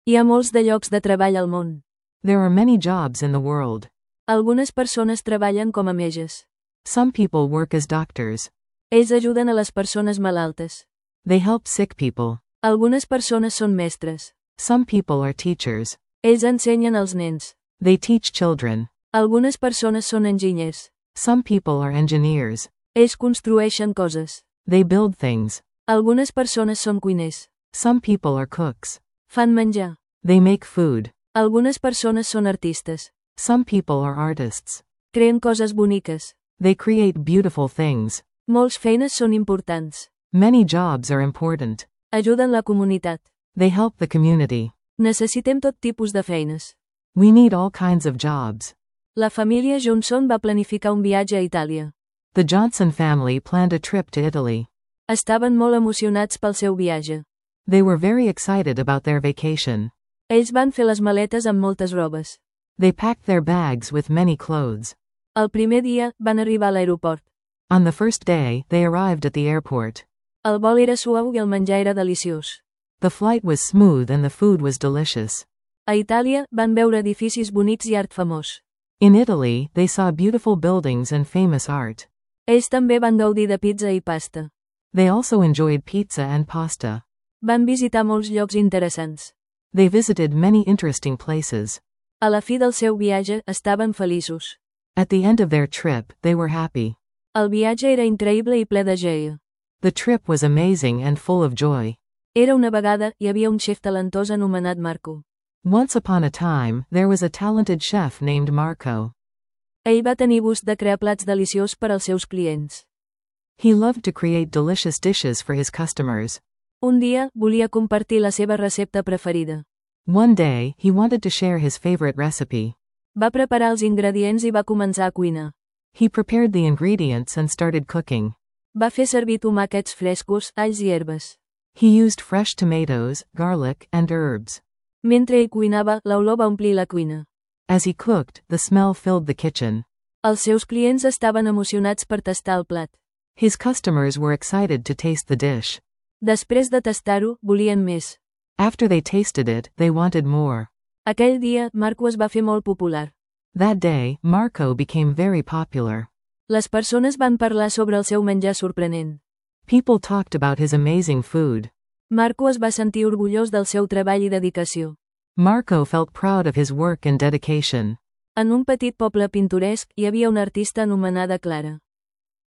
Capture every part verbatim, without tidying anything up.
Hi ha molts de llocs de treball al món. There are many jobs in the world. Algunes persones treballen com a metges. Some people work as doctors. Ells ajuden a les persones malaltes. They help sick people. Algunes persones són mestres. Some people are teachers. Ells ensenyen als nens. They teach children. Algunes persones són enginyers. Some people are engineers. Ells construeixen coses. They build things. Algunes persones són cuiners. Some people are cooks. Fan menjar. They make food. Algunes persones són artistes. Some people are artists. Creen coses boniques. They create beautiful things. Molts feines són importants. Many jobs are important. Ajuden la comunitat. They help the community. Necessitem tot tipus de feines. We need all kinds of jobs. La família Johnson va planificar un viatge a Itàlia. The Johnson family planned a trip to Italy. Estaven molt emocionats pel seu viatge. They were very excited about their vacation. Ells van fer les maletes amb moltes robes. They packed their bags with many clothes. El primer dia, van arribar a l'aeroport. On the first day, they arrived at the airport. El vol era suau i el menjar era deliciós. The flight was smooth and the food was delicious. A Itàlia, van veure edificis bonics i art famós. In Italy, they saw beautiful buildings and famous art. Ells també van gaudir de pizza i pasta. They also enjoyed pizza and pasta. Van visitar molts llocs interessants. They visited many interesting places. A la fi del seu viatge, estaven feliços. At the end of their trip, they were happy. El viatge era increïble i ple de joia. The trip was amazing and full of joy. Era una vegada, hi havia un xef talentós anomenat Marco. Once upon a time, there was a talented chef named Marco. Ell va tenir gust de crear plats deliciosos per als seus clients. He loved to create delicious dishes for his customers. Un dia, volia compartir la seva recepta preferida. One day, he wanted to share his favorite recipe. Va preparar els ingredients i va començar a cuinar. He prepared the ingredients and started cooking. Va fer servir tomàquets frescos, alls i herbes. He used fresh tomatoes, garlic, and herbs. Mentre ell cuinava, l'olor va omplir la cuina. As he cooked, the smell filled the kitchen. Els seus clients estaven emocionats per tastar el plat. His customers were excited to taste the dish. Després de tastar-ho, volien més. After they tasted it, they wanted more. Aquell dia, Marco es va fer molt popular. That day, Marco became very popular. Les persones van parlar sobre el seu menjar sorprenent. People talked about his amazing food. Marco es va sentir orgullós del seu treball i dedicació. Marco felt proud of his work and dedication. En un petit poble pintoresc, hi havia una artista anomenada Clara.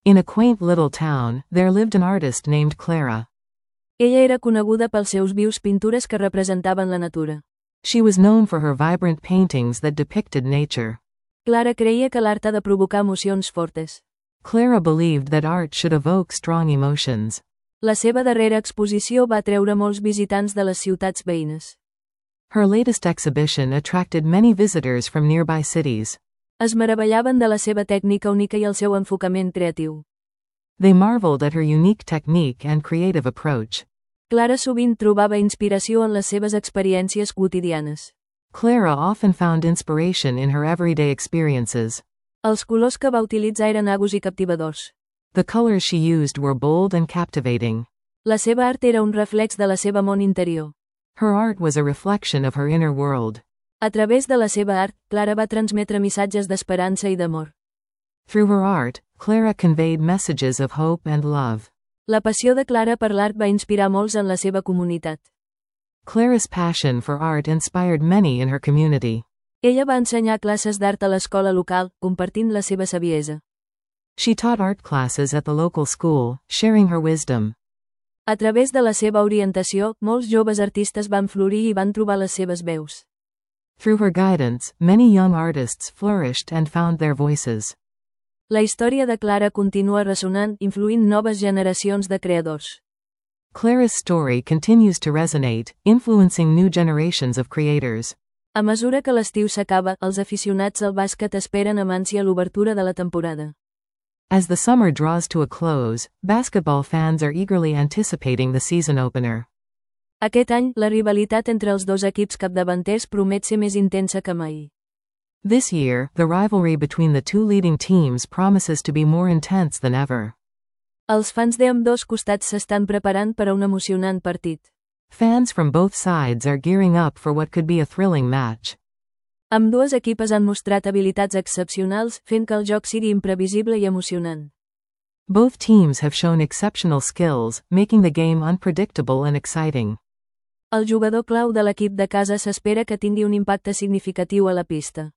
In a quaint little town, there lived an artist named Clara. Ella era coneguda pels seus vius pintures que representaven la natura. She was known for her vibrant paintings that depicted nature. Clara creia que l'art ha de provocar emocions fortes. Clara believed that art should evoke strong emotions. La seva darrera exposició va atreure molts visitants de les ciutats veïnes. Her latest exhibition attracted many visitors from nearby cities. Es meravellaven de la seva tècnica única i el seu enfocament creatiu. They marveled at her unique technique and creative approach. Clara sovint trobava inspiració en les seves experiències quotidianes. Clara often found inspiration in her everyday experiences. Els colors que va utilitzar eren agos i captivadors. The colors she used were bold and captivating. La seva art era un reflex de la seva món interior. Her art was a reflection of her inner world. A través de la seva art, Clara va transmetre missatges d'esperança i d'amor. Through her art, Clara conveyed messages of hope and love. La passió de Clara per l'art va inspirar molts en la seva comunitat. Clara's passion for art inspired many in her community. Ella va ensenyar classes d'art a l'escola local, compartint la seva saviesa. She taught art classes at the local school, sharing her wisdom. A través de la seva orientació, molts joves artistes van florir i van trobar les seves veus. Through her guidance, many young artists flourished and found their voices. La història de Clara continua ressonant, influint noves generacions de creadors. Clara's story continues to resonate, influencing new generations of creators. A mesura que l'estiu s'acaba, els aficionats al bàsquet esperen amb ànsia l'obertura de la temporada. As the summer draws to a close, basketball fans are eagerly anticipating the season opener. Aquest any, la rivalitat entre els dos equips capdavanters promet ser més intensa que mai. This year, the rivalry between the two leading teams promises to be more intense than ever. Els fans de ambdós costats s'estan preparant per a un emocionant partit. Fans from both sides are gearing up for what could be a thrilling match. Ambdues equipes han mostrat habilitats excepcionals, fent que el joc sigui imprevisible i emocionant. Both teams have shown exceptional skills, making the game unpredictable and exciting. El jugador clau de l'equip de casa s'espera que tingui un impacte significatiu a la pista.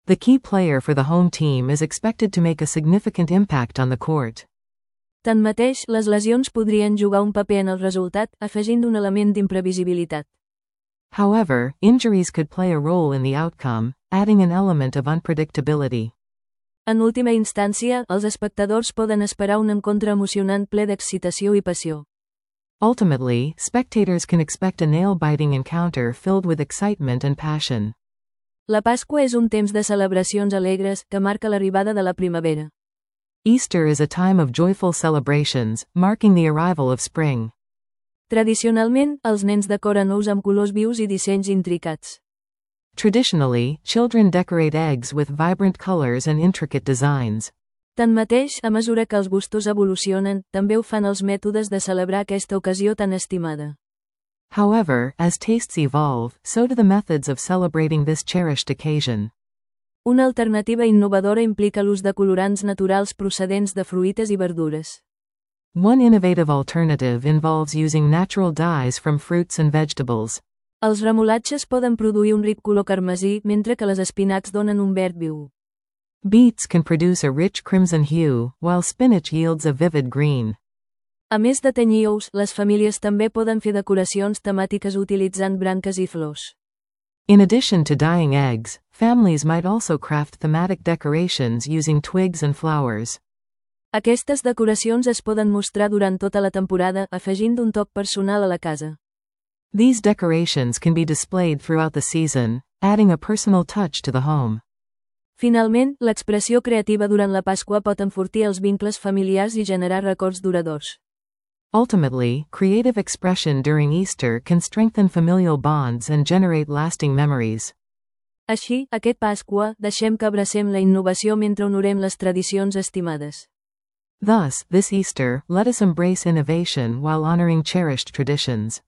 The key player for the home team is expected to make a significant impact on the court. Tanmateix, les lesions podrien jugar un paper en el resultat, afegint un element d'imprevisibilitat. However, injuries could play a role in the outcome, adding an element of unpredictability. En última instància, els espectadors poden esperar un encontre emocionant ple d'excitació i passió. Ultimately, spectators can expect a nail-biting encounter filled with excitement and passion. La Pasqua és un temps de celebracions alegres que marca l'arribada de la primavera. Easter is a time of joyful celebrations, marking the arrival of spring. Tradicionalment, els nens decoren ous amb colors vius i dissenys intricats. Traditionally, children decorate eggs with vibrant colors and intricate designs. Tanmateix, a mesura que els gustos evolucionen, també ho fan els mètodes de celebrar aquesta ocasió tan estimada. However, as tastes evolve, so do the methods of celebrating this cherished occasion. Una alternativa innovadora implica l'ús de colorants naturals procedents de fruites i verdures. One innovative alternative involves using natural dyes from fruits and vegetables. Els remolatges poden produir un ric color carmesí, mentre que les espinacs donen un verd viu. Beets can produce a rich crimson hue, while spinach yields a vivid green. A més de tenyir ous, les famílies també poden fer decoracions temàtiques utilitzant branques i flors. In addition to dyeing eggs, families might also craft thematic decorations using twigs and flowers. Aquestes decoracions es poden mostrar durant tota la temporada, afegint un toc personal a la casa. These decorations can be displayed throughout the season, adding a personal touch to the home. Finalment, l'expressió creativa durant la Pasqua pot enfortir els vincles familiars i generar records duradors. Ultimately, creative expression during Easter can strengthen familial bonds and generate lasting memories. Així, aquest Pasqua, deixem que abracem la innovació mentre honorem les tradicions estimades. Thus, this Easter, let us embrace innovation while honoring cherished traditions.